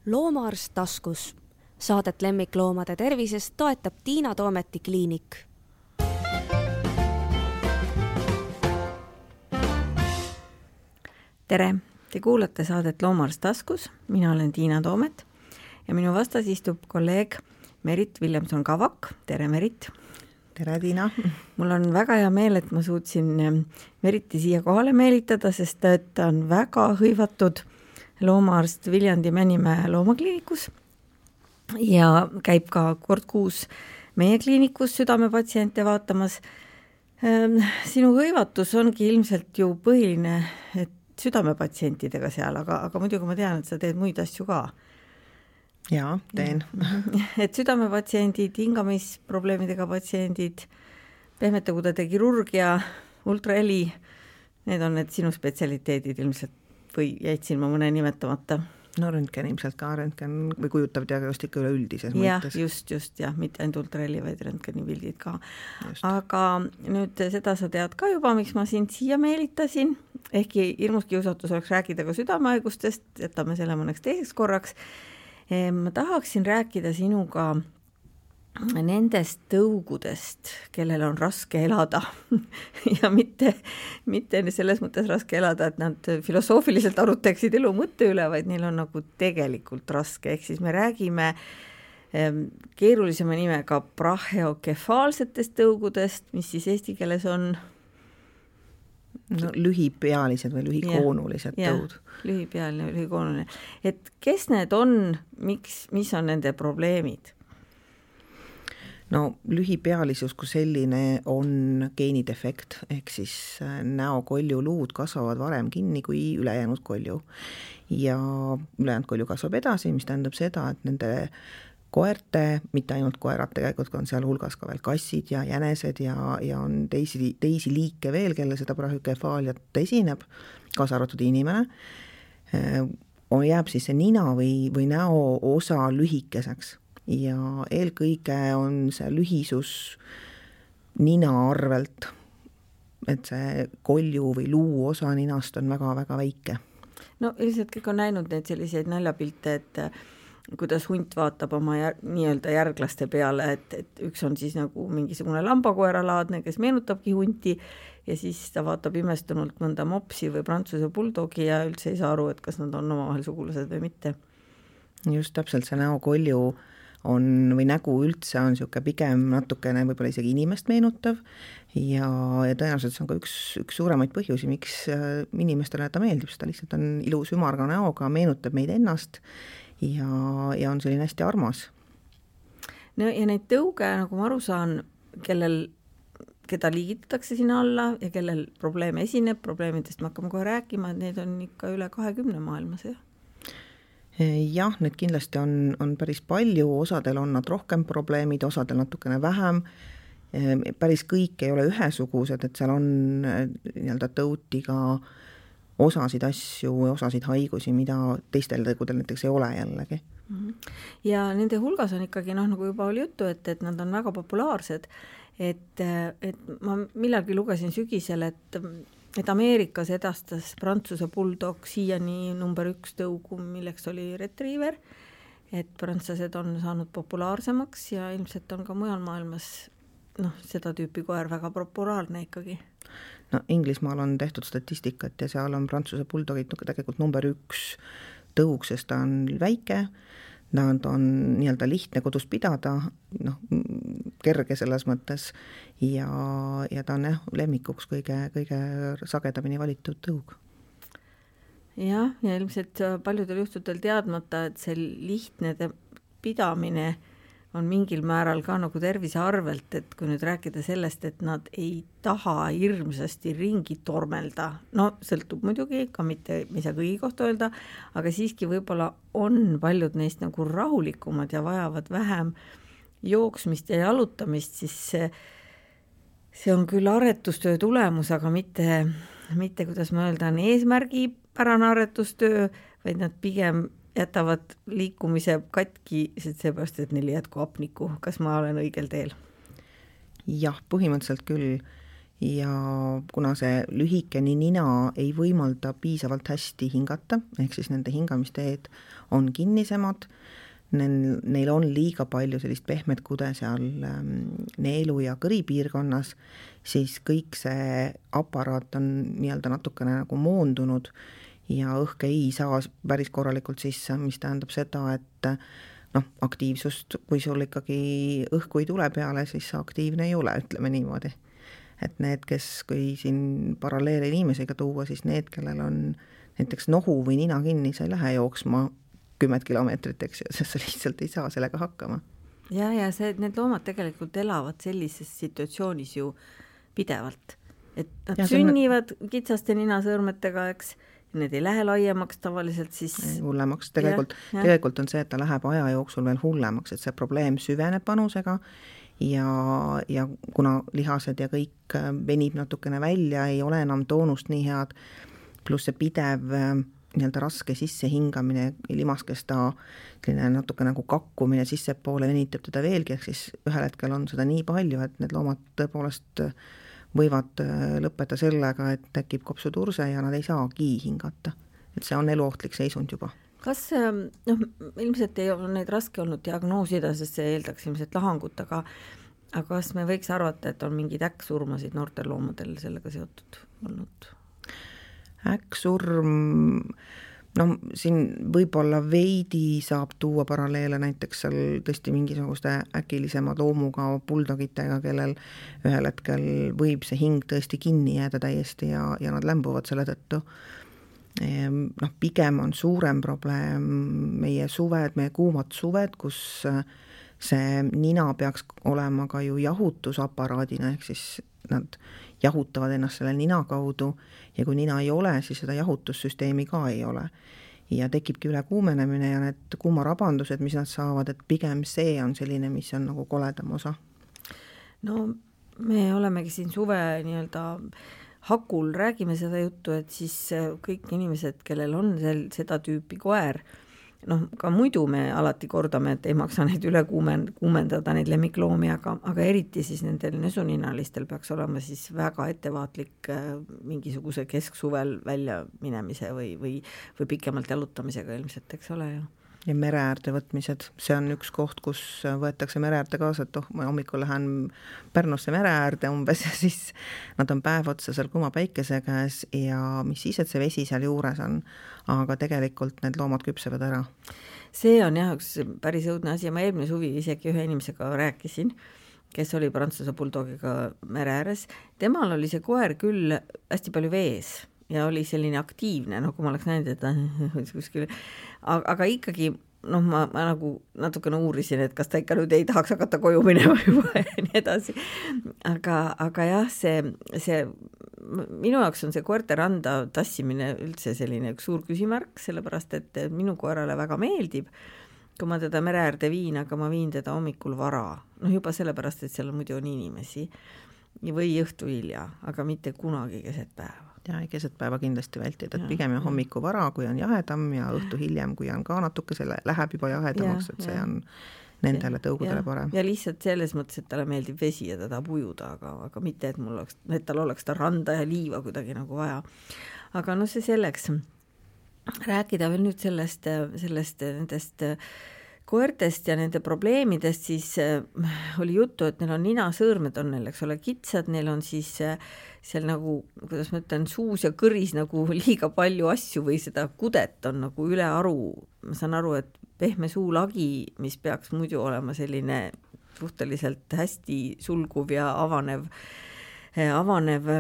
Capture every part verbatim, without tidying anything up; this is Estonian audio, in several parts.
Loomaarst taskus. Saadet lemmikloomade tervisest toetab Tiina Toometi kliinik. Tere! Te kuulate saadet Loomaarst taskus. Mina olen Tiina Toomet ja minu vastas istub kolleeg Merit Villemson-Kavak. Tere, Merit! Tere, Tiina! Mul on väga hea meel, et ma suutsin Meriti siia kohale meelitada, sest ta on väga hõivatud loomaarst Viljandi Männimäe loomakliinikus ja käib ka kord kuus meie kliinikus südamepatsiente vaatamas. Sinu hõivatus ongi ilmselt ju põhiline, et südamepatsientidega seal, aga, aga muidugi ma tean, et sa teed muid asju ka. Jaa, teen. Et südamepatsiendid, hingamisprobleemidega patsiendid, pehmete kudede kirurgia, ultraheli, need on need sinu spetsialiteedid ilmselt või jäid siin ma mõne nimetamata? No röntgen ilmselt ka, röntgen või kujutav diagnostika üleüldises ja, mõttes. Just, just, jah, mitte ainult ultraheli, vaid röntgeni pildid ka. Just. Aga nüüd seda sa tead ka juba, miks ma sind siia meelitasin, ehkki hirmus kiusatus oleks rääkida ka südamehaigustest, jätame selle mõneks teiseks korraks. Ma tahaksin rääkida sinuga nendest tõugudest, kellel on raske elada ja mitte, mitte selles mõttes raske elada, et nad filosoofiliselt arutaksid elu mõtte üle, vaid neil on nagu tegelikult raske. Ehk siis me räägime keerulisema nimega brachiokefaalsetest tõugudest, mis siis eesti keeles on no, lühipealised või lühikoonulised ja, tõud. Ja, lühipealine või lühikoonuline. Et kes need on, miks, mis on nende probleemid? No lühipealisus kui selline on geenidefekt, ehk siis näokoljuluud kasvavad varem kinni kui ülejäänud kolju. Ja ülejäänud kolju kasvab edasi, mis tähendab seda, et nende koerte, mitte ainult koerad tegelikult, on seal hulgas ka veel kassid ja jänesed ja, ja on teisi, teisi liike veel, kelle seda brachiokefaaliat esineb, kaasa arvatud inimene, jääb siis see nina või, või näo osa lühikeseks. Ja eelkõige on see lühisus nina arvelt, et see kolju või luu osa ninast on väga-väga väike. No ilmselt kõik on näinud neid selliseid naljapilte, et kuidas hunt vaatab oma jär, nii-öelda järglaste peale, et, et üks on siis nagu mingisugune lambakoeralaadne, kes meenutabki hunti ja siis ta vaatab imestunult mõnda mopsi või prantsuse bulldogi ja üldse ei saa aru, et kas nad on omavahel sugulased või mitte. Just täpselt see näokolju on või nägu üldse on siuke pigem natukene võib-olla isegi inimest meenutav ja, ja tõenäoliselt see on ka üks, üks suuremaid põhjusi, miks inimestele ta meeldib, seda lihtsalt on ilus ümarga näoga, meenutab meid ennast ja, ja on selline hästi armas. No ja neid tõuge, nagu ma aru saan, kellel, keda liigitatakse sinna alla ja kellel probleeme esineb, probleemidest me hakkame kohe rääkima, et neid on ikka üle kahekümne maailmas, jah? Jah, need kindlasti on, on päris palju, osadel on nad rohkem probleemid, osadel natukene vähem, päris kõik ei ole ühesugused, et seal on nii-öelda tõutiga osasid asju, osasid haigusi, mida teistel tõgudel näiteks ei ole jällegi. Ja nende hulgas on ikkagi, noh, nagu juba oli juttu, et, et nad on väga populaarsed, et, et ma millalgi lugesin sügisel, et et Ameerikas edastas Prantsuse bulldog siiani number üks tõugu, milleks oli retriever, et prantslased on saanud populaarsemaks ja ilmselt on ka mujal maailmas noh, seda tüüpi koer väga populaarne ikkagi. No Inglismaal on tehtud statistikat ja seal on Prantsuse bulldogid tegelikult number üks tõug, sest ta on väike, nad on nii-öelda lihtne kodus pidada, noh, kerge selles mõttes ja, ja ta on jah, lemmikuks kõige, kõige sagedamini valitud tõug. Jah, ja ilmselt paljudel juhtudel teadmata, et see lihtne pidamine on mingil määral ka nagu tervise arvelt, et kui nüüd rääkida sellest, et nad ei taha hirmsasti ringi tormelda, no sõltub muidugi, ka mitte, me ei saa kõigi kohta öelda, aga siiski võib-olla on paljud neist nagu rahulikumad ja vajavad vähem jooksmist ja jalutamist, siis see, see on küll aretustöö tulemus, aga mitte, mitte kuidas ma öelda, on eesmärgi pärane aretustöö, vaid nad pigem jätavad liikumise katki, seepärast, et neil jätku hapnikku. Kas ma olen õigel teel? Jah, põhimõtteliselt küll. ja kuna see lühikene nina ei võimalda piisavalt hästi hingata, ehk siis nende hingamisteed on kinnisemad, neil, neil on liiga palju sellist pehmet kude seal neelu ja kõri piirkonnas, siis kõik see aparaat on nii-öelda natukene nagu moondunud ja õhk ei saa päris korralikult sisse, mis tähendab seda, et noh, aktiivsust, kui sul ikkagi õhku ei tule peale, siis sa aktiivne ei ole, ütleme niimoodi. Et need, kes, kui siin paralleele inimesega tuua, siis need, kellel on näiteks nohu või nina kinni, sa ei lähe jooksma kümmet kilomeetrit, eks ju, sest sa lihtsalt ei saa sellega hakkama. Ja, ja see, need loomad tegelikult elavad sellises situatsioonis ju pidevalt. Et nad ja, sünnivad on... kitsaste ninasõõrmetega, eks, need ei lähe laiemaks tavaliselt, siis... Hullemaks. Tegelikult, ja, ja. tegelikult on see, et ta läheb aja jooksul veel hullemaks, et see probleem süveneb panusega ja, ja kuna lihased ja kõik venib natukene välja, ei ole enam toonust nii head, pluss see pidev nii-öelda raske sissehingamine, limaskesta natuke nagu kakkumine sissepoole venitab teda veelgi, ehk siis ühel hetkel on seda nii palju, et need loomad tõepoolest võivad lõppeda sellega, et tekib kopsuturse ja nad ei saagi hingata. Et see on eluohtlik seisund juba. Kas, noh, ilmselt ei ole neid raske olnud diagnoosida, sest see eeldaks ilmselt lahangut, aga, aga kas me võiks arvata, et on mingid äkksurmasid noortel loomadel sellega seotud olnud? Äkksurm, no siin võib-olla veidi saab tuua paralleele näiteks seal tõesti mingisugust äkilisema loomuga buldogitega, kellel ühel hetkel võib see hing tõesti kinni jääda täiesti ja, ja nad lämbuvad selle tõttu. Noh, pigem on suurem probleem meie suved, meie kuumad suved, kus see nina peaks olema ka ju jahutusaparaadina, ehk siis nad jahutavad ennast selle nina kaudu ja kui nina ei ole, siis seda jahutussüsteemi ka ei ole. Ja tekibki üle kuumenemine ja need kuumarabandused, mis nad saavad, et pigem see on selline, mis on nagu koledam osa. No me olemegi siin suve nii-öelda hakul, räägime seda juttu, et siis kõik inimesed, kellel on sel, seda tüüpi koer, noh, ka muidu me alati kordame, et ei maksa neid üle kuumendada, neid lemmikloomi, aga, aga eriti siis nendel nesuninalistel peaks olema siis väga ettevaatlik mingisuguse kesksuvel välja minemise või, või, või pikemalt jalutamisega ilmselt, eks ole ju. Ja mereäärde võtmised, see on üks koht, kus võetakse mereäärde kaasa, et oh, ma hommikul lähen Pärnusse mereäärde umbes ja siis nad on päev otsa seal kuma päikese käes ja mis siis, et see vesi seal juures on, aga tegelikult need loomad küpsevad ära. See on jah üks päris õudne asi ja ma eelmine suvi isegi ühe inimesega rääkisin, kes oli Prantsuse buldogiga mere ääres. Temal oli see koer küll hästi palju vees ja oli selline aktiivne, noh, kui ma oleks näinud, et kuskil, aga, aga ikkagi, noh, ma, ma nagu natukene uurisin, et kas ta ikka nüüd ei tahaks hakata koju minema juba ja nii edasi. Aga, aga jah, see, see, minu jaoks on see koerte randa tassimine üldse selline üks suur küsimärk, sellepärast, et minu koerale väga meeldib, kui ma teda mereäärde viin, aga ma viin teda hommikul vara. Noh, juba sellepärast, et seal muidu on inimesi või õhtu hilja, aga mitte kunagi keset päeva. Ja ei keset päeva kindlasti vältida, et pigem ja hommiku vara, kui on jahedam ja õhtu hiljem, kui on ka natuke, selle läheb juba jahedamaks, et see on nendele tõugudele parem. Ja lihtsalt selles mõttes, et talle meeldib vesi ja ta tahab ujuda, aga, aga mitte, et, mul oleks, et tal oleks ta randa ja liiva kuidagi nagu vaja. Aga no see selleks, rääkida veel nüüd sellest, sellest nendest koertest ja nende probleemidest, siis oli juttu, et neil on ninasõõrmed on neil, eks ole, kitsad, neil on siis seal nagu, kuidas ma ütlen, suus ja kõris nagu liiga palju asju või seda kudet on nagu üle aru. Ma saan aru, et pehme suulagi, mis peaks muidu olema selline suhteliselt hästi sulguv ja avanev, avanev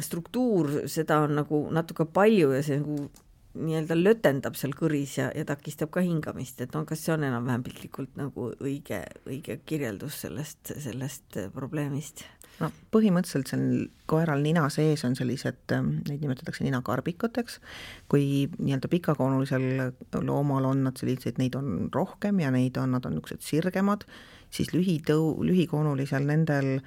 struktuur, seda on nagu natuke palju ja see nagu nii-öelda lötendab seal kõris ja, ja takistab ka hingamist, et on, kas see on enam-vähem piltlikult nagu õige, õige kirjeldus sellest, sellest probleemist? No, põhimõtteliselt seal koeral nina sees on sellised, neid nimetatakse ninakarbikuteks, kui nii-öelda pikakoonulisel loomal on nad sellised, neid on rohkem ja neid on, nad on niisugused sirgemad, siis lühitõu, lühikoonulisel nendel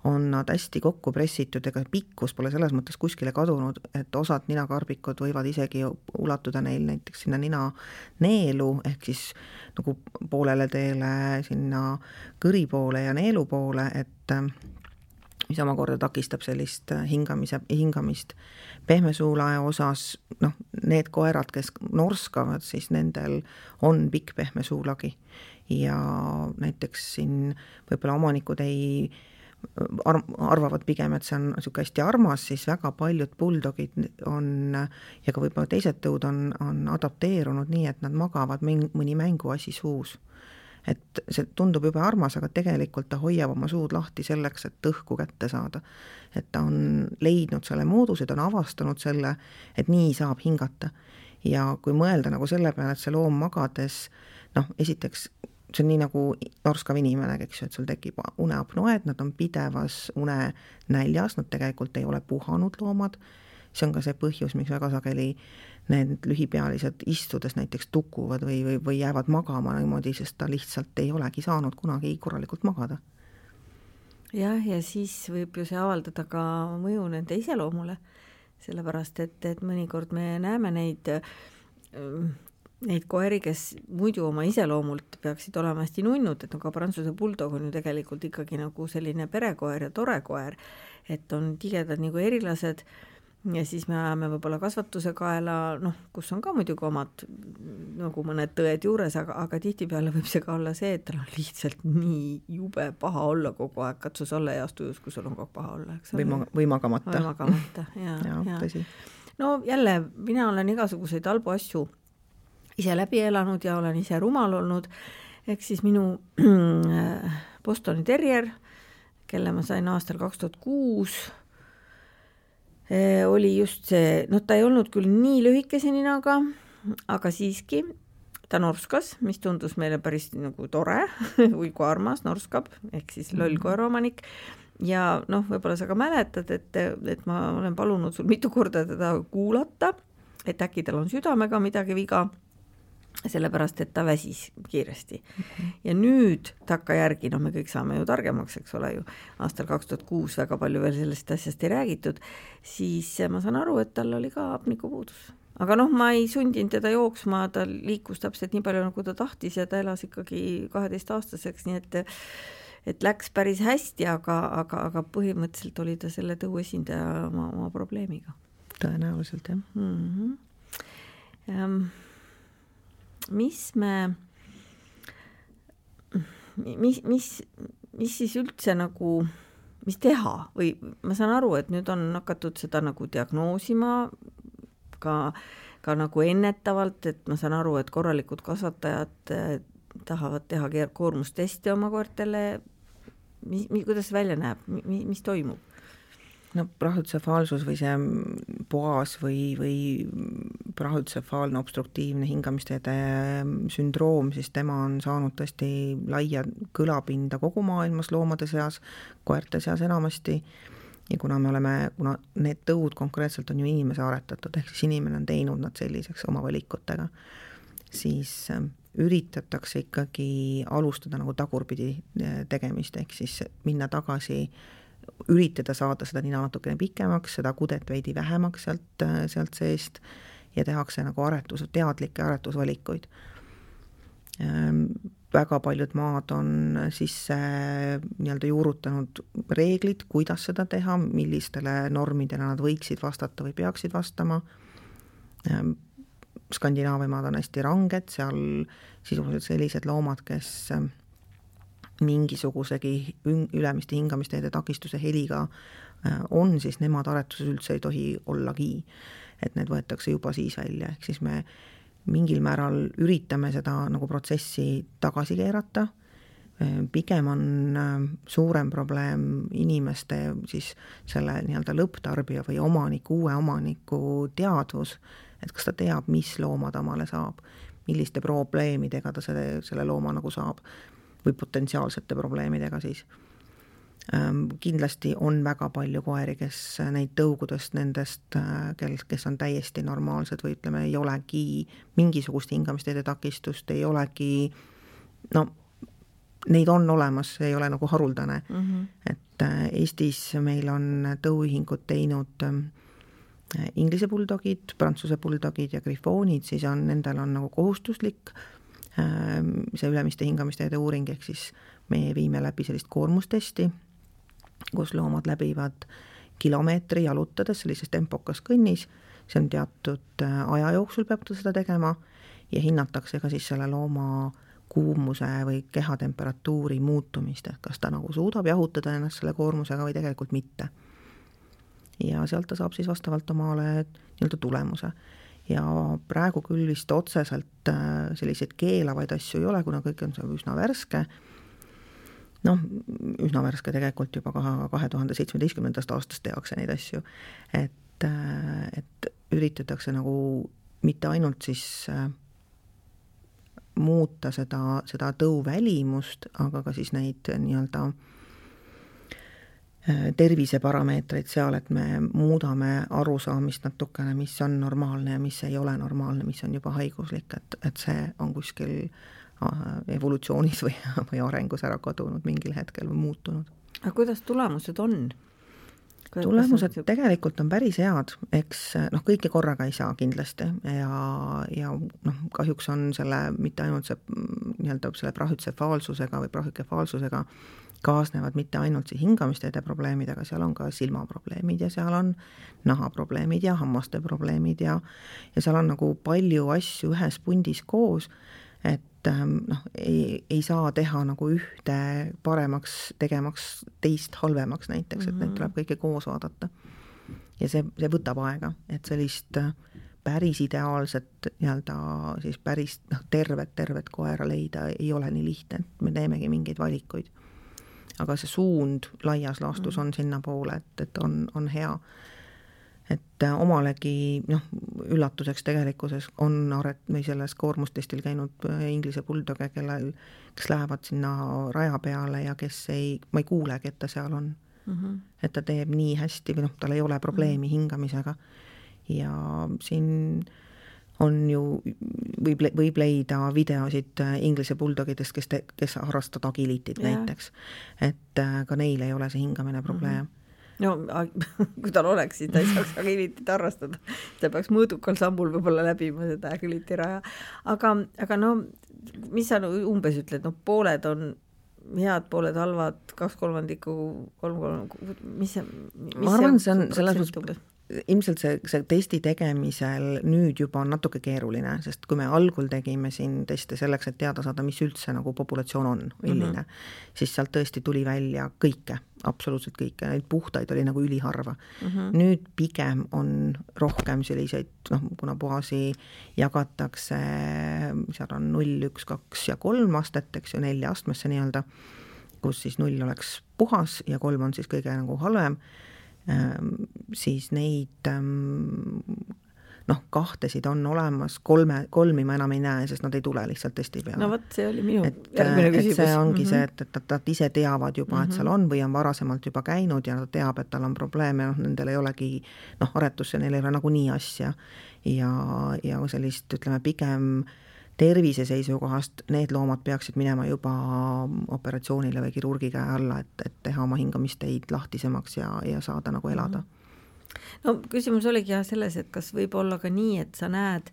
on nad hästi kokku pressitud, ega pikkus pole selles mõttes kuskile kadunud, et osad ninakarbikud võivad isegi ulatuda neil näiteks sinna nina neelu, ehk siis nagu poolele teele sinna kõri poole ja neelu poole, et mis omakorda takistab sellist hingamise, hingamist. Pehmesuulae osas, noh, need koerad, kes norskavad, siis nendel on pikk pehmesuulagi ja näiteks siin võib-olla omanikud ei arvavad pigem, et see on niisugune hästi armas, siis väga paljud bulldogid on ja ka võib-olla teised tõud on, on adapteerunud nii, et nad magavad mõni mänguasi suus. Et see tundub juba armas, aga tegelikult ta hoiab oma suud lahti selleks, et õhku kätte saada. Et ta on leidnud selle mooduse, ta on avastanud selle, et nii saab hingata. Ja kui mõelda nagu selle peale, et see loom magades, noh, esiteks see on nii nagu norskav inimene, eks ju, et sul tekib uneapnoed, nad on pidevas une näljas, nad tegelikult ei ole puhanud loomad. See on ka see põhjus, miks väga sageli need lühipealised istudes näiteks tukuvad või, või, või jäävad magama niimoodi, sest ta lihtsalt ei olegi saanud kunagi korralikult magada. Jah, ja siis võib ju see avaldada ka mõju nende iseloomule, sellepärast et, et mõnikord me näeme neid, neid koeri, kes muidu oma iseloomult peaksid olema hästi nunnud, et no ka Prantsuse bulldog on ju tegelikult ikkagi nagu selline perekoer ja tore koer, et on tigedad nagu erilased. Ja siis me ajame võib-olla kasvatuse kaela, noh, kus on ka muidugi omad nagu mõned tõed juures, aga, aga tihtipeale võib see ka olla see, et tal on lihtsalt nii jube paha olla kogu aeg, katsus olla ja astujus, kui sul on kogu paha olla. Eks või, ma, või magamata. Või magamata, ja, ja, ja. Tõsi. No jälle, mina olen igasuguseid halbu asju ise läbi elanud ja olen ise rumal olnud, ehk siis minu Bostoni terrier, kelle ma sain aastal kaks tuhat kuus, oli just see, no ta ei olnud küll nii lühikese ninaga, aga siiski ta norskas, mis tundus meile päris nagu tore või kui armas norskab, ehk siis loll koeraomanik. Ja noh, võib-olla sa ka mäletad, et, et ma olen palunud sul mitu korda teda kuulata, et äkki tal on südamega midagi viga, sellepärast, et ta väsis kiiresti. Mm-hmm. Ja nüüd takka järgi, noh me kõik saame ju targemaks, eks ole ju, aastal kaks tuhat kuus väga palju veel sellest asjast ei räägitud, siis ma saan aru, et tal oli ka hapnikupuudus. Aga noh, ma ei sundinud teda jooksma, ta liikus täpselt nii palju, nagu ta tahtis ja ta elas ikkagi kaheteist aastaseks, nii et, et läks päris hästi, aga, aga, aga põhimõtteliselt oli ta selle tõu esindaja oma, oma probleemiga. Tõenäoliselt, jah. Mm-hmm. Um, mis me mis, mis, mis siis üldse nagu mis teha või ma saan aru, et nüüd on hakatud seda nagu diagnoosima ka, ka nagu ennetavalt, et ma saan aru, et korralikud kasvatajad tahavad teha koormustesti oma koertele. Mis, mis, kuidas see välja näeb? Mis, mis toimub? No brahütsefaalsus või see poas või, või brahütsefaalne obstruktiivne hingamisteede sündroom, siis tema on saanud tõesti laia kõlapinda kogu maailmas loomade seas, koerte seas enamasti. Ja kuna me oleme, kuna need tõud konkreetselt on ju inimese aretatud, ehk siis inimene on teinud nad selliseks oma valikutega, siis üritatakse ikkagi alustada nagu tagurpidi tegemist, ehk siis minna tagasi, üritada saada seda nina natukene pikemaks, seda kudet veidi vähemaks sealt, sealt seest ja tehakse nagu aretus, teadlikke aretusvalikuid. Väga paljud maad on sisse nii-öelda juurutanud reeglid, kuidas seda teha, millistele normidele nad võiksid vastata või peaksid vastama. Skandinaavia maad on hästi ranged, seal sisuliselt sellised loomad, kes mingisugusegi ülemiste hingamisteede takistuse heliga on, siis nemad aretuses üldse ei tohi ollagi, et need võetakse juba siis välja, ehk siis me mingil määral üritame seda nagu protsessi tagasi keerata. Pigem on suurem probleem inimeste siis selle nii-öelda lõpptarbija või omaniku, uue omaniku teadvus, et kas ta teab, mis looma ta omale saab, milliste probleemidega ta selle, selle looma nagu saab või potentsiaalsete probleemidega siis. Kindlasti on väga palju koeri, kes neid tõugudest nendest, kes on täiesti normaalsed või ütleme, ei olegi mingisugust hingamisteede takistust, ei olegi, no neid on olemas, ei ole nagu haruldane. Mm-hmm. Et Eestis meil on tõuühingud teinud inglise buldogid, prantsuse buldogid ja grifoonid, siis on, nendel on nagu kohustuslik see ülemiste hingamisteede uuring, ehk siis me viime läbi sellist koormustesti kus loomad läbivad kilomeetri jalutades sellises tempokas kõnnis, see on teatud aja jooksul peab ta seda tegema ja hinnatakse ka siis selle looma kuumuse või kehatemperatuuri muutumist, et kas ta nagu suudab jahutada ennast selle koormusega või tegelikult mitte. Ja sealt ta saab siis vastavalt omale nii-öelda tulemuse. Ja praegu küll vist otseselt selliseid keelavaid asju ei ole, kuna kõik on see üsna värske. Noh, üsna värske tegelikult juba kahe tuhande seitsmeteistkümnendast aastast tehakse neid asju, et, et üritatakse nagu mitte ainult siis muuta seda, seda tõuvälimust, aga ka siis neid nii-öelda terviseparameetreid seal, et me muudame arusaamist natukene, mis on normaalne ja mis ei ole normaalne, mis on juba haiguslik, et, et see on kuskil evolutsioonis või, või arengus ära kadunud mingil hetkel või muutunud. Aga kuidas tulemused on? Tulemused tegelikult on päris head, eks noh, kõike korraga ei saa kindlasti ja, ja noh, kahjuks on selle, mitte ainult see nii-öelda selle prahütsefaalsusega või prahükefaalsusega kaasnevad mitte ainult see hingamisteede probleemid, aga seal on ka silmaprobleemid ja seal on nahaprobleemid ja hammaste probleemid ja, ja seal on nagu palju asju ühes pundis koos, et noh, ei, ei saa teha nagu ühte paremaks tegemaks teist halvemaks näiteks, et neid tuleb kõike koos vaadata. Ja see, see võtab aega, et sellist päris ideaalset nii-öelda siis päris noh, tervet, tervet koera leida ei ole nii lihtne, et me teemegi mingeid valikuid. Aga see suund laias laastus on sinna poole, et, et on, on hea. Et omalegi noh, üllatuseks tegelikkuses on aret, või selles koormustestil käinud inglise bulldoge, kellel, kes lähevad sinna raja peale ja kes ei, ma ei kuulegi, et ta seal on. Mm-hmm. Et ta teeb nii hästi või noh, tal ei ole probleemi mm-hmm. hingamisega. Ja siin on ju, võib, võib leida videosid inglise bulldogidest, kes, te, kes harrastavad agilitit yeah. näiteks. Et ka neil ei ole see hingamine probleem. Mm-hmm. No, kui tal oleks, siis ta ei saaks agilitit harrastada. Ta peaks mõõdukal sammul võib-olla läbima seda agiliti raja. Aga, aga no, mis sa umbes ütled? No, pooled on head, pooled halvad, kaks kolmandikku, kolm, kolm, mis see? Mis ma arvan, see on selles mõttes, ilmselt see, see testi tegemisel nüüd juba on natuke keeruline, sest kui me algul tegime siin teste selleks, et teada saada, mis üldse nagu populatsioon on, milline, mm-hmm. siis sealt tõesti tuli välja kõike, absoluutselt kõike, neid puhtaid oli nagu üliharva. Mm-hmm. Nüüd pigem on rohkem selliseid, noh, kuna puhasi jagatakse, seal on null, üks, kaks ja kolm astet, eks ju, nelja astmesse nii-öelda, kus siis null oleks puhas ja kolm on siis kõige nagu halvem. Ähm, siis neid ähm, noh, kahtesid on olemas, kolme, kolmi ma enam ei näe, sest nad ei tule lihtsalt testi peale. No võt, see oli minu et, järgmine küsimus. Et see ongi mm-hmm. see, et, et nad ise teavad juba, et seal on või on varasemalt juba käinud ja nad teab, et tal on probleeme, noh, nendel ei olegi, noh, aretusse neil ei ole nagu nii asja ja, ja sellist, ütleme, pigem tervise seisukohast need loomad peaksid minema juba operatsioonile või kirurgi käe alla, et, et teha oma hingamisteid lahtisemaks ja, ja saada nagu elada. No küsimus oligi jah selles, et kas võib olla ka nii, et sa näed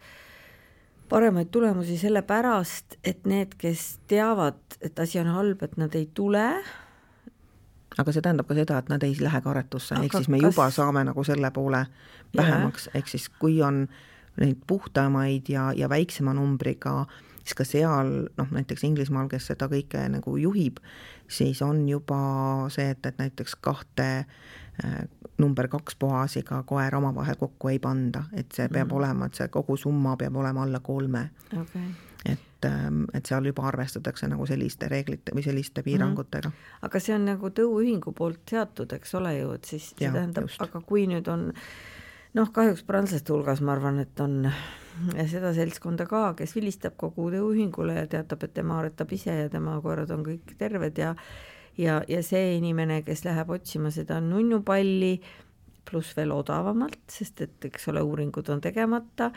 paremaid tulemusi selle pärast, et need, kes teavad, et asi on halb, et nad ei tule. Aga see tähendab ka seda, et nad ei lähe ka aretusse, ehk siis me kas... juba saame nagu selle poole vähemaks, ehk siis kui on neid puhtamaid ja, ja väiksema numbriga, siis ka seal, noh, näiteks Inglismaal, kes seda kõike nagu juhib, siis on juba see, et, et näiteks kahte äh, number kaks puhasiga koer omavahel kokku ei panda, et see peab mm. olema, et see kogu summa peab olema alla kolme. Okay. Et, et seal juba arvestatakse nagu selliste reeglite või selliste piirangutega. Mm. Aga see on nagu tõuühingu poolt seatud, eks ole ju, et siis see ja, tähendab, just. Aga kui nüüd on noh, kahjuks prantslaste hulgas ma arvan, et on seda seltskonda ka, kes vilistab kogu tõuühingule ja teatab, et tema aretab ise ja tema koerad on kõik terved ja, ja, ja see inimene, kes läheb otsima seda nunnupalli pluss veel odavamalt, sest et eks ole, uuringud on tegemata,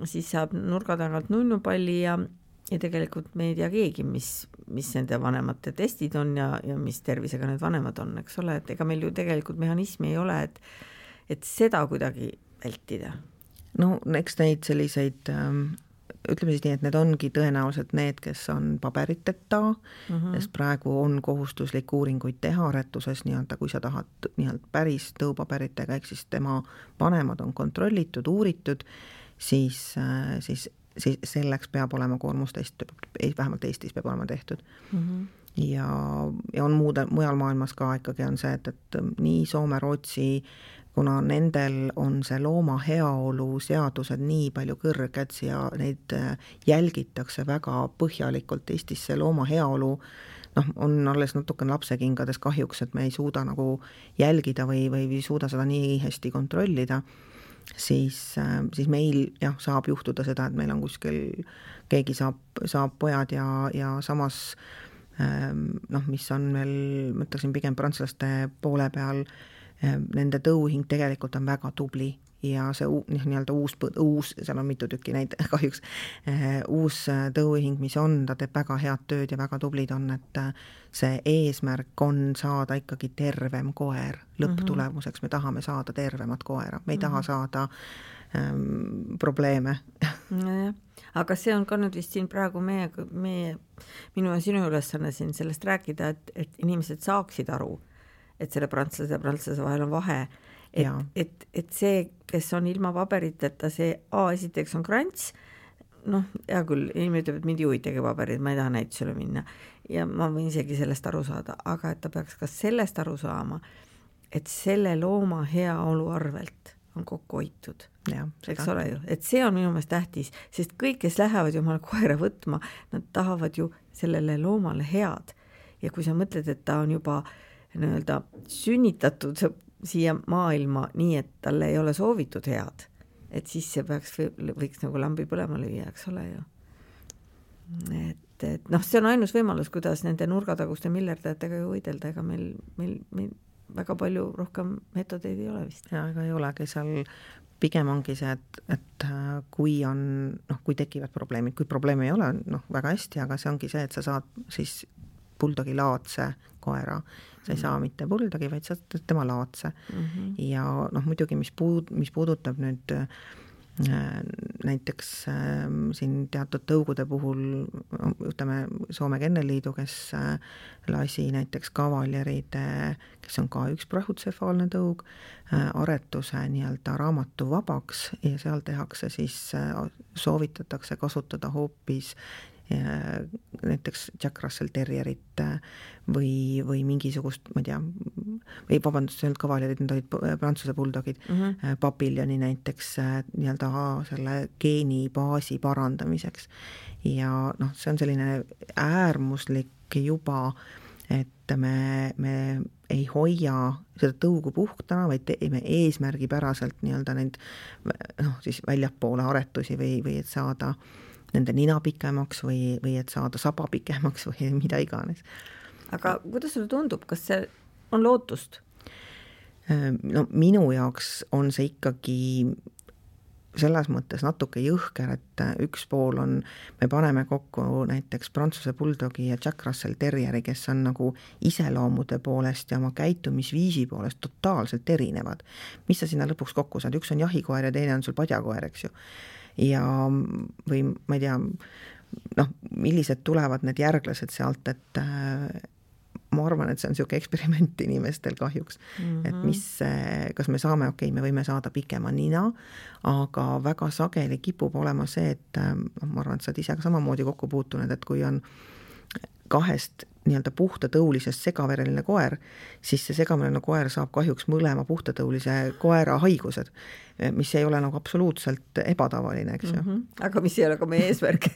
siis saab nurga tagant nunnupalli ja, ja tegelikult me ei tea keegi, mis, mis nende vanemate testid on ja, ja mis tervisega need vanemad on, eks ole, et ega meil ju tegelikult mehhanismi ei ole, et et seda kuidagi vältida. No eks neid selliseid ähm, ütleme siis nii, et need ongi tõenäoliselt need, kes on paberiteta mm, -hmm. sest praegu on kohustuslik uuringuid teha aretuses nii-öelda, kui sa tahad nii-öelda päris tõupaberitega, ehk siis tema vanemad on kontrollitud, uuritud, siis, siis, siis selleks peab olema koormustest, vähemalt Eestis peab olema tehtud mm. -hmm. ja, ja on muude, mujal maailmas ka ikkagi on see, et, et nii Soome, Rootsi, kuna nendel on see looma heaolu seadused nii palju kõrged ja neid jälgitakse väga põhjalikult. Eestis see looma heaolu noh, on alles natukene lapsekingades kahjuks, et me ei suuda nagu jälgida või, või ei suuda seda nii hästi kontrollida, siis, siis meil jah, saab juhtuda seda, et meil on kuskil, keegi saab, saab pojad ja, ja samas noh, mis on veel, ma ütleksin pigem prantslaste poole peal, nende tõuhing tegelikult on väga tubli ja see nii-öelda uus, uus, seal on mitu tükki neid kahjuks, uus tõuhing, mis on, ta teeb väga head tööd ja väga tublid on, et see eesmärk on saada ikkagi tervem koer lõpptulemuseks, me tahame saada tervemat koera, me ei taha saada ähm, probleeme. Nojah, aga see on ka nüüd vist siin praegu meie, meie, minu ja sinu ülesanne siin sellest rääkida, et, et inimesed saaksid aru, et selle prantslase ja prantslase vahel on vahe, et, et, et see, kes on ilma paberiteta, see A esiteks on krants, noh, hea küll, inimene ütleb, et mind ei huvitagi paberid, ma ei taha näitusele minna ja ma võin isegi sellest aru saada, aga et ta peaks ka sellest aru saama, et selle looma heaolu arvelt on kokku hoitud. Ja, eks ole ju, et see on minu meelest tähtis, sest kõik, kes lähevad ju omale koera võtma, nad tahavad ju sellele loomale head ja kui sa mõtled, et ta on juba nii-öelda sünnitatud siia maailma nii, et talle ei ole soovitud head, et siis see peaks, võiks nagu lambi põlema lüüa, eks ole ju. Et, et noh, see on ainus võimalus, kuidas nende nurgataguste millerdajatega ju võidelda, ega meil, meil, meil väga palju rohkem metodeid ei ole vist. Ja, ega ei olegi, seal pigem ongi see, et, et kui on, noh, kui tekivad probleemid, kui probleemi ei ole, noh, väga hästi, aga see ongi see, et sa saad siis buldogi laadse koera, sa ei mm-hmm. saa mitte buldogi, vaid sa tema laadse mm-hmm. ja noh, muidugi mis, puud, mis puudutab nüüd äh, näiteks äh, siin teatud tõugude puhul, ütleme Soome Kennelliidu, kes äh, lasi näiteks kavaljeride, kes on ka üks prahutsefaalne tõug, äh, aretuse nii-öelda raamatu vabaks ja seal tehakse siis, äh, soovitatakse kasutada hoopis näiteks Jack Russell Terrierit või, või mingisugust, ma ei tea, või vabandust, see olnud kavaljerid, need olid prantsuse buldogid, mm-hmm. papiljoni näiteks nii-öelda selle geenibaasi parandamiseks. Ja noh, see on selline äärmuslik juba, et me, me ei hoia seda tõugu puhtana, vaid teeme eesmärgipäraselt nii-öelda neid noh, siis väljapoole aretusi või, või et saada nende nina pikemaks või, või et saada saba pikemaks või mida iganes. Aga kuidas sulle tundub, kas see on lootust? No minu jaoks on see ikkagi selles mõttes natuke jõhker, et üks pool on, me paneme kokku näiteks prantsuse buldogi ja Jack Russell Terrieri, kes on nagu iseloomude poolest ja oma käitumisviisi poolest totaalselt erinevad. Mis sa sinna lõpuks kokku saad? Üks on jahikoer ja teine on sul padjakoer, eks ju. Ja või ma ei tea, noh, millised tulevad need järglased sealt, et äh, ma arvan, et see on niisugune eksperiment inimestel kahjuks, mm-hmm. et mis, kas me saame, okei, me võime saada pikema nina, aga väga sageli kipub olema see, et ma arvan, et sa oled ise ka samamoodi kokku puutunud, et kui on kahest nii-öelda puhtatõulisest segavereline koer, siis see segavereline koer saab kahjuks mõlema puhtatõulise koera haigused, mis ei ole nagu absoluutselt ebatavaline, eks ju. Mm-hmm. Aga mis ei ole ka meie eesmärk.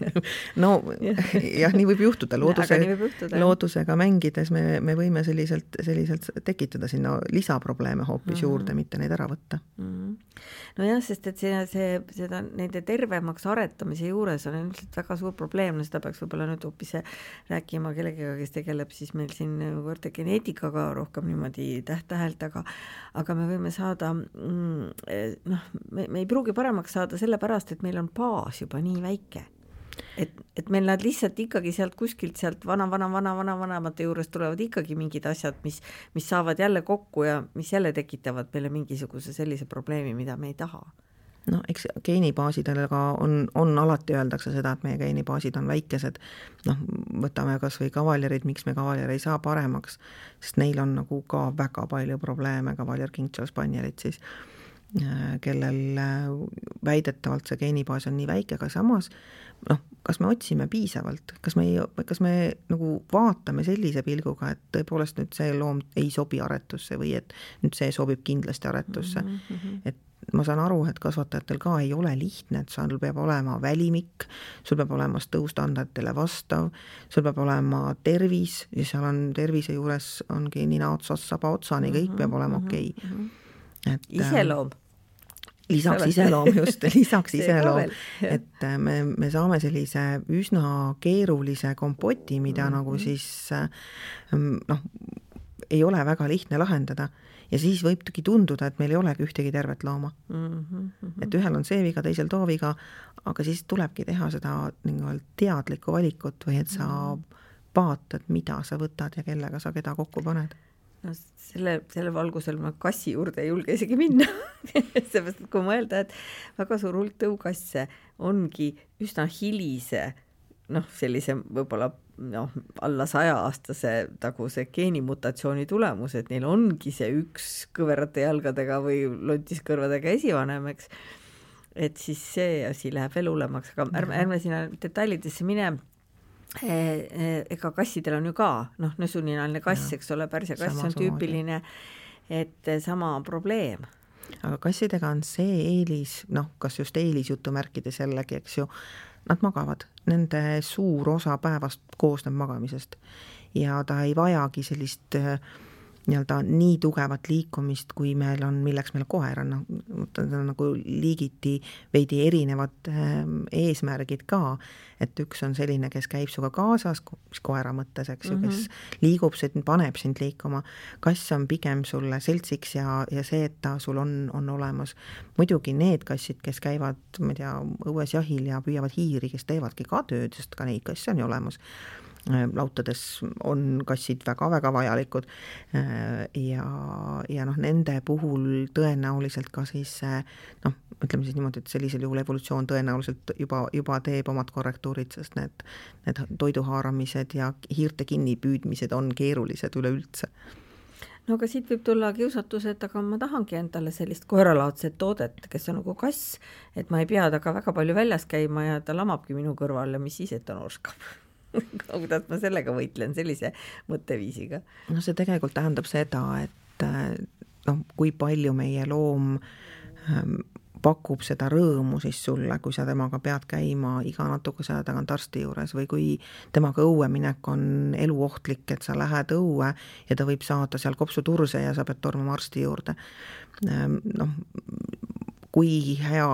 no jah, nii võib juhtuda. Looduse, võib juhtuda loodusega mängides me, me võime selliselt, selliselt tekitada sinna lisaprobleeme hoopis mm-hmm. juurde, mitte neid ära võtta. Mm-hmm. No jah, sest et see, see, seda nende tervemaks aretamise juures on ilmselt väga suur probleem, no seda peaks võib-olla nüüd hoopis rääkima kellegagi, kes tegeleb siis meil siin võrte geneetikaga rohkem niimoodi täht-tähelt, aga, aga me võime saada mm, noh, me, me ei pruugi paremaks saada sellepärast, et meil on baas juba nii väike. Et, et meil nad lihtsalt ikkagi sealt kuskilt sealt vana, vana, vana, vana, vanemate juures tulevad ikkagi mingid asjad, mis, mis saavad jälle kokku ja mis jälle tekitavad meile mingisuguse sellise probleemi, mida me ei taha. no eks geenibaasidega on, on alati öeldakse seda, et meie geenibaasid on väikesed, noh, võtame kas või kavaljerid, miks me kavaljer ei saa paremaks, sest neil on nagu ka väga palju probleeme, kavaljer King Charles Spannielit siis, kellel väidetavalt see geenibaas on nii väike, aga samas noh, kas me otsime piisavalt, kas me, kas me nagu vaatame sellise pilguga, et tõepoolest nüüd see loom ei sobi aretusse või et nüüd see sobib kindlasti aretusse, mm-hmm. et ma saan aru, et kasvatajatel ka ei ole lihtne, et sul peab olema välimik, sul peab olema tõustandarditele vastav, sul peab olema tervis ja seal on tervise juures ongi nina otsast saba otsani, kõik peab olema okei okay. Et iseloom. Lisaks iseloom just, lisaks iseloom, et me, me saame sellise üsna keerulise kompoti, mida mm-hmm. nagu siis noh, ei ole väga lihtne lahendada ja siis võibki tunduda, et meil ei olegi ühtegi tervet looma. Mm-hmm. Et ühel on see viga, teisel too viga, aga siis tulebki teha seda teadlikku valikut või et sa vaatad, mida sa võtad ja kellega sa keda kokku paned. No selle, selle valgusel ma kassi juurde ei julge isegi minna. Seepärast, et kui mõelda, et väga suur hulk tõukasse ongi üsna hilise, noh, sellise võib-olla noh, alla saja aastase taguse geenimutatsiooni tulemus, et neil ongi see üks kõverate jalgadega või lontiskõrvadega esivanem, eks. Et siis see asi läheb veel hullemaks, aga ärme, ärme sinna detailidesse mine. Ega kassidel on ju ka, noh, nõsuninaline kass, eks ole, pärsia kass on tüüpiline, et sama probleem. Aga kassidega on see eelis, noh, kas just eelis jutumärkides jällegi, eks ju, nad magavad, nende suur osa päevast koosneb magamisest ja ta ei vajagi sellist nii-öelda nii tugevat liikumist, kui meil on, milleks meil koer on, noh, ta on nagu liigiti veidi erinevad eesmärgid ka, et üks on selline, kes käib suga kaasas, mis koera mõttes, eks ju, kes liigub, paneb sind liikuma, kass on pigem sulle seltsiks ja, ja see, et ta sul on, on olemas. Muidugi need kassid, kes käivad, ma ei tea, õues jahil ja püüavad hiiri, kes teevadki ka tööd, sest ka neid kasse on ju olemas. Lautades on kassid väga-väga vajalikud ja, ja noh, nende puhul tõenäoliselt ka siis noh, ütleme siis niimoodi, et sellisel juhul evolutsioon tõenäoliselt juba, juba teeb omad korrektuurid, sest need, need toiduhaaramised ja hiirte kinnipüüdmised on keerulised üleüldse. No aga siit võib tulla kiusatus, et aga ma tahangi endale sellist koeralaadset toodet, kes on nagu kass, et ma ei pea taga väga palju väljas käima ja ta lamabki minu kõrval ja mis siis, et ta norskab. Kuidas ma sellega võitlen, sellise mõtteviisiga? No see tegelikult tähendab seda, et noh, kui palju meie loom pakub seda rõõmu siis sulle, kui sa temaga pead käima iga natukese aja tagant arsti juures või kui temaga õue minek on eluohtlik, et sa lähed õue ja ta võib saada seal kopsuturse ja sa pead tormama arsti juurde. Noh, kui hea,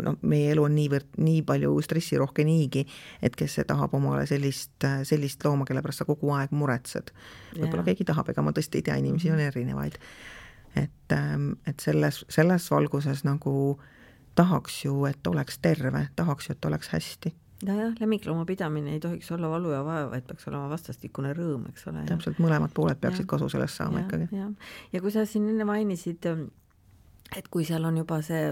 no, meie elu on niivõrd, nii palju stressirohke niigi, et kes see tahab omale sellist, sellist looma, kelle pärast sa kogu aeg muretsed. Võib-olla keegi tahab, ega ma tõesti ei tea, inimesi on erinevaid. Et, et selles, selles valguses nagu tahaks ju, et oleks terve, tahaks ju, et oleks hästi. Ja, jah, lemmiklooma pidamine ei tohiks olla valu ja vaeva, vaid peaks olema vastastikune rõõm, eks ole. Täpselt mõlemad pooled peaksid ja. Kasu sellest saama ja, ikkagi. Ja. ja kui sa siin enne mainisid, et kui seal on juba see,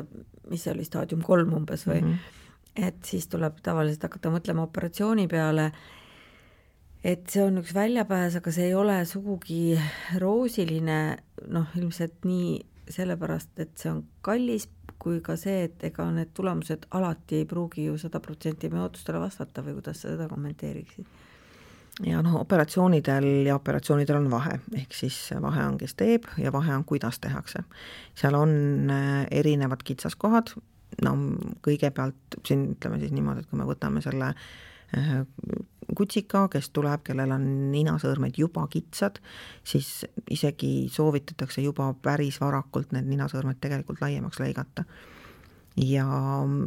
mis see oli, staadium kolm umbes või, mm-hmm. et siis tuleb tavaliselt hakata mõtlema operatsiooni peale, et see on üks väljapääs, aga see ei ole sugugi roosiline, noh, ilmselt nii sellepärast, et see on kallis, kui ka see, et ega need tulemused alati ei pruugi ju sada protsenti meie ootustele vastata või kuidas sa seda kommenteeriksid? Ja noh, operatsioonidel ja operatsioonidel on vahe, ehk siis vahe on, kes teeb ja vahe on, kuidas tehakse. Seal on erinevad kitsaskohad, no kõigepealt siin ütleme siis niimoodi, et kui me võtame selle kutsika, kes tuleb, kellel on ninasõõrmed juba kitsad, siis isegi soovitatakse juba päris varakult need ninasõõrmed tegelikult laiemaks lõigata. Ja,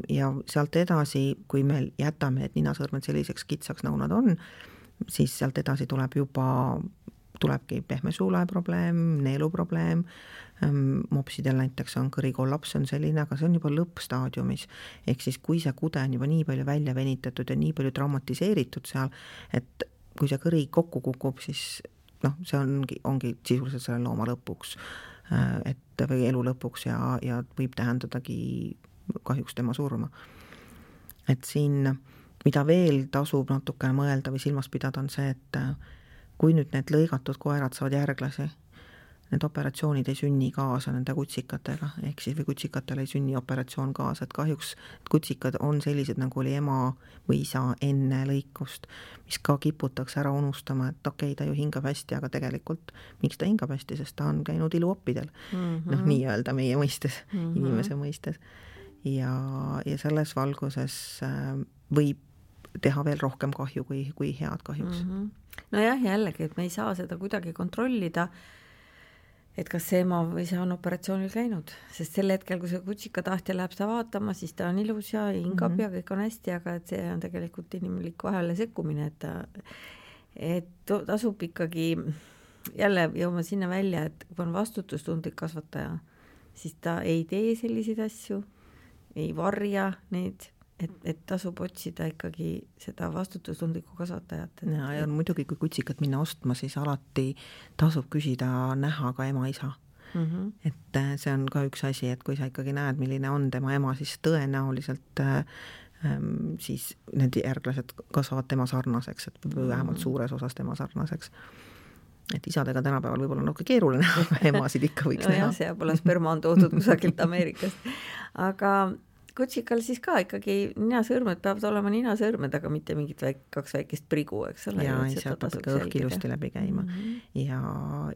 ja sealt edasi, kui me jätame need ninasõõrmed selliseks kitsaks, nagu nad on, siis sealt edasi tuleb juba, tulebki pehmesuule probleem, neelu probleem, mopsidel näiteks on kõrikollaps, on selline, aga see on juba lõppstaadiumis. Ehk siis kui see kude on juba nii palju välja venitatud ja nii palju traumatiseeritud seal, et kui see kõri kokku kukub, siis noh, see ongi, ongi sisuliselt selle looma lõpuks, et või elu lõpuks ja, ja võib tähendadagi kahjuks tema surma. Et siin, mida veel tasub natukene mõelda või silmas pidada, on see, et kui nüüd need lõigatud koerad saavad järglasi, need operatsioonid ei sünni kaasa nende kutsikatega, ehk siis või kutsikatele ei sünni operatsioon kaasa, et kahjuks kutsikad on sellised, nagu oli ema või isa enne lõikust, mis ka kiputakse ära unustama, et okei, ta ju hingab hästi, aga tegelikult miks ta hingab hästi, sest ta on käinud iluoppidel, mm -hmm. noh, nii-öelda meie mõistes, mm -hmm. inimese mõistes. Ja, ja selles valguses võib teha veel rohkem kahju kui, kui head kahjuks. Mm -hmm. Nojah, jällegi, et me ei saa seda kuidagi kontrollida, et kas see ema või see on operatsioonil käinud, sest sel hetkel, kui see kutsika tahtja läheb seda vaatama, siis ta on ilus ja hingab mm -hmm. ja kõik on hästi, aga et see on tegelikult inimlik vahele sekkumine, et ta, et tasub ikkagi jälle jõuma sinna välja, et kui on vastutustundlik kasvataja, siis ta ei tee selliseid asju, ei varja neid, et, et tasub otsida ikkagi seda vastutustundlikku kasvatajat. Et, ja, ja muidugi, kui kutsikat minna ostma, siis alati tasub küsida näha ka ema-isa. Mm -hmm. Et see on ka üks asi, et kui sa ikkagi näed, milline on tema ema, siis tõenäoliselt ähm, siis need järglased kasvavad tema sarnaseks, et või vähemalt suures osas tema sarnaseks. Et isadega tänapäeval võib-olla natuke keeruline, aga emasid ikka võiks no näha. jah, see pole sperma on toodud kusagilt Ameerikast. Aga kutsikal siis ka ikkagi ninasõrmed peavad olema ninasõrmed, aga mitte mingid väik, kaks väikest prigu, eks ole. Ja, ja seal peab ka õhk ilusti läbi käima. Mm -hmm. Ja,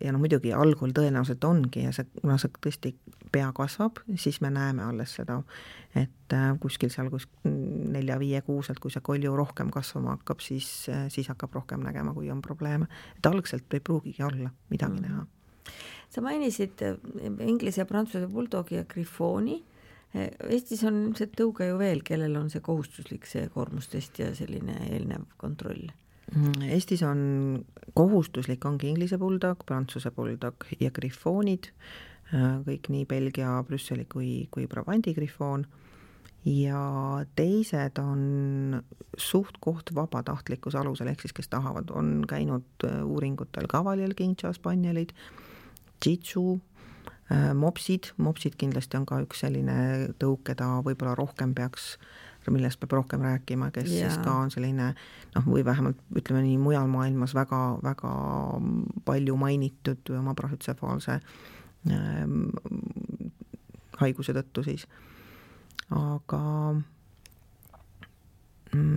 ja no muidugi algul tõenäoliselt ongi ja see, kuna see tõesti pea kasvab, siis me näeme alles seda, et kuskil seal kus nelja-viie kuuselt, kui see kolju rohkem kasvama hakkab, siis, siis hakkab rohkem nägema, kui on probleeme. Et algselt ei pruugigi olla midagi mm -hmm. näha. Sa mainisid inglise ja prantsuse buldogi ja griffooni. Eestis on ilmselt tõuge ju veel, kellel on see kohustuslik see koormustest ja selline eelnev kontroll? Eestis on kohustuslik, ongi inglise buldog, prantsuse buldog ja griffoonid, kõik nii Belgia, Brüsseli kui, kui Brabanti griffoon, ja teised on suht koht vabatahtlikkuse alusel, ehk siis kes tahavad, on käinud uuringutel Cavalier King Charles Spanielid, Jitsu, mopsid, mopsid kindlasti on ka üks selline tõuk, keda võib-olla rohkem peaks, millest peab rohkem rääkima, kes ja. siis ka on selline, noh, või vähemalt ütleme nii mujal maailmas väga, väga palju mainitud oma brahütsefaalse ähm, haiguse tõttu siis. Aga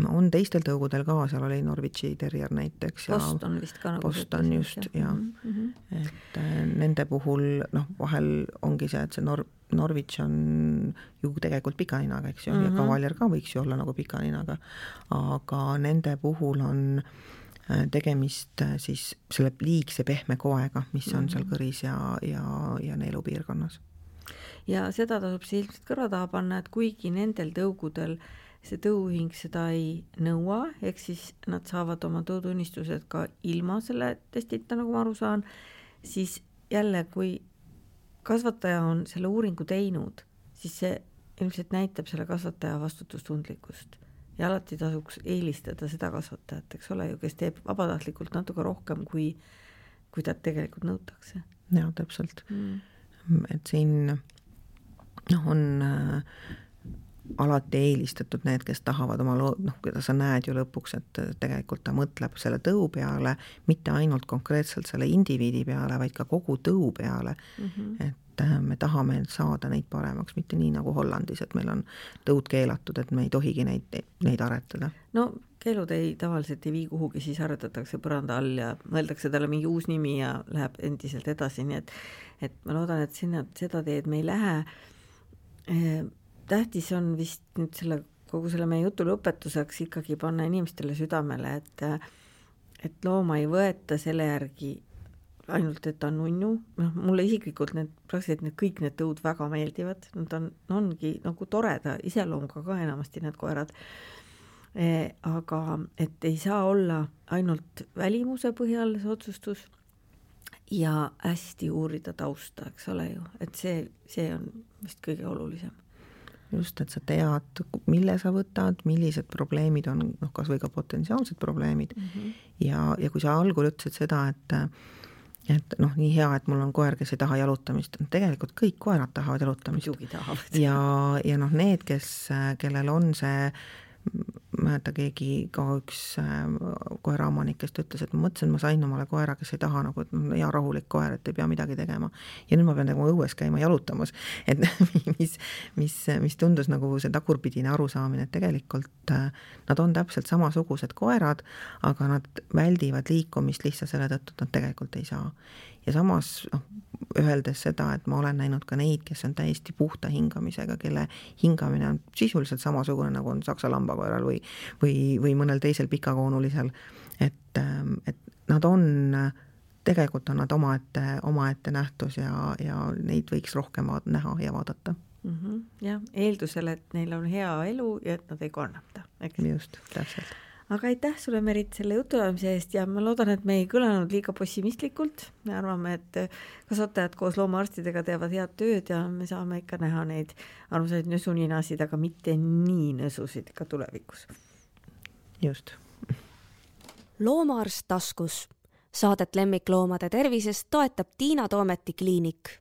on teistel tõugudel ka, seal oli Norwichi terrier näiteks. Boston vist ka nagu. Boston just, ja. Mm-hmm. Et nende puhul, noh, vahel ongi see, et see Nor- Norwich on ju tegelikult pikaninaga, eks ju, mm-hmm. ja Cavalier ka võiks ju olla nagu pikaninaga, aga nende puhul on tegemist siis selle liigse pehme koega, mis on mm-hmm. seal kõris ja, ja, ja neelupiirkonnas. Ja seda tasub see ilmselt kõrva taha panna, et kuigi nendel tõugudel see tõuhing seda ei nõua, ehk siis nad saavad oma tõutunnistused ka ilma selle testita, nagu ma aru saan, siis jälle, kui kasvataja on selle uuringu teinud, siis see ilmselt näitab selle kasvataja vastutustundlikkust. Ja alati tasuks eelistada seda kasvatajat, eks ole ju, kes teeb vabatahtlikult natuke rohkem, kui, kui ta tegelikult nõutakse. Jaa, täpselt. Mm. Et siin noh, on äh, alati eelistatud need, kes tahavad oma loo-, noh, keda sa näed ju lõpuks, et tegelikult ta mõtleb selle tõu peale, mitte ainult konkreetselt selle indiviidi peale, vaid ka kogu tõu peale. Mm-hmm. Et me tahame saada neid paremaks, mitte nii nagu Hollandis, et meil on tõud keelatud, et me ei tohigi neid, neid aretada. No keelud ei tavaliselt ei vii kuhugi, siis aretatakse põranda all ja mõeldakse talle mingi uus nimi ja läheb endiselt edasi, nii et, et ma loodan, et sinna seda teed me ei lähe. Tähtis on vist nüüd selle, kogu selle meie jutu lõpetuseks ikkagi panna inimestele südamele, et, et looma ei võeta selle järgi ainult, et ta on nunnu. No, mulle isiklikult need, praktiliselt need kõik need tõud väga meeldivad. Nad on, ongi nagu toreda iseloomuga ka enamasti need koerad. E, aga et ei saa olla ainult välimuse põhjal see otsustus ja hästi uurida tausta, eks ole ju. Et see, see on vist kõige olulisem. Just, et sa tead, mille sa võtad, millised probleemid on, noh, kas või ka potentsiaalsed probleemid. Mm-hmm. Ja, ja kui sa algul ütlesid seda, et et noh, nii hea, et mul on koer, kes ei taha jalutamist, tegelikult kõik koerad tahavad jalutamist. ja, ja noh, need, kes, kellel on see, mäeta keegi ka üks koeraomanik, kes ütles, et ma mõtlesin, et ma sain omale koera, kes ei taha nagu, et hea rahulik koer, et ei pea midagi tegema. Ja nüüd ma pean nagu õues käima jalutamas, et mis, mis, mis tundus nagu see tagurpidine arusaamine, et tegelikult nad on täpselt samasugused koerad, aga nad väldivad liikumist lihtsalt selle tõttu, et nad tegelikult ei saa. Ja samas noh, öeldes seda, et ma olen näinud ka neid, kes on täiesti puhta hingamisega, kelle hingamine on sisuliselt samasugune, nagu on saksa lambakoeral või, või, või mõnel teisel pikakoonulisel, et, et nad on, tegelikult on nad omaette, omaette nähtus ja, ja neid võiks rohkem näha ja vaadata. Mm-hmm. Jah, eeldusel, et neil on hea elu ja et nad ei kannata. Just, täpselt. Aga aitäh sulle, Merit, selle jutuajamise eest ja ma loodan, et me ei kõlanud liiga pessimistlikult. Me arvame, et kasvatajad koos loomaarstidega teevad head tööd ja me saame ikka näha neid armsaid nõsuninasid, aga mitte nii nõsusid ka tulevikus. Just. Loomaarst taskus. Saadet lemmikloomade tervisest toetab Tiina Toometi kliinik.